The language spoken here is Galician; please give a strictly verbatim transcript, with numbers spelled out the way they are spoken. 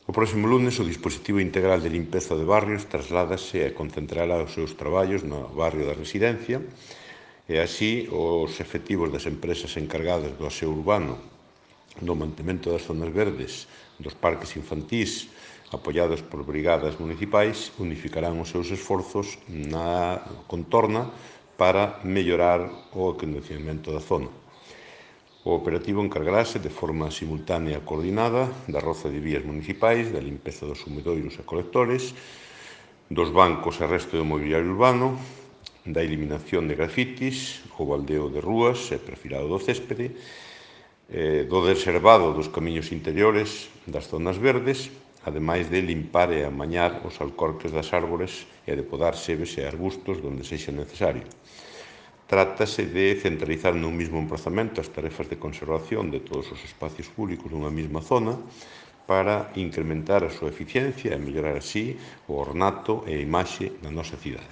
O próximo lunes o dispositivo integral de limpeza de barrios trasládase e concentrará os seus traballos no barrio da Residencia e así os efectivos das empresas encargadas do aseo urbano, do mantemento das zonas verdes, dos parques infantís, apoiados por brigadas municipais, unificarán os seus esforzos na contorna para mellorar o acondicionamento da zona. O operativo encargarase de forma simultánea e coordinada da roza de vías municipais, da limpeza dos sumidoiros e colectores, dos bancos e resto do mobiliario urbano, da eliminación de grafitis, o baldeo de rúas e perfilado do céspede, eh, do reservado dos camiños interiores das zonas verdes, ademais de limpar e amañar os alcorques das árbores e de podar sebes e arbustos donde sexa necesario. Trátase de centralizar nun mesmo emprazamento as tarefas de conservación de todos os espacios públicos dunha mesma zona para incrementar a súa eficiencia e mellorar así o ornato e a imaxe da nosa cidade.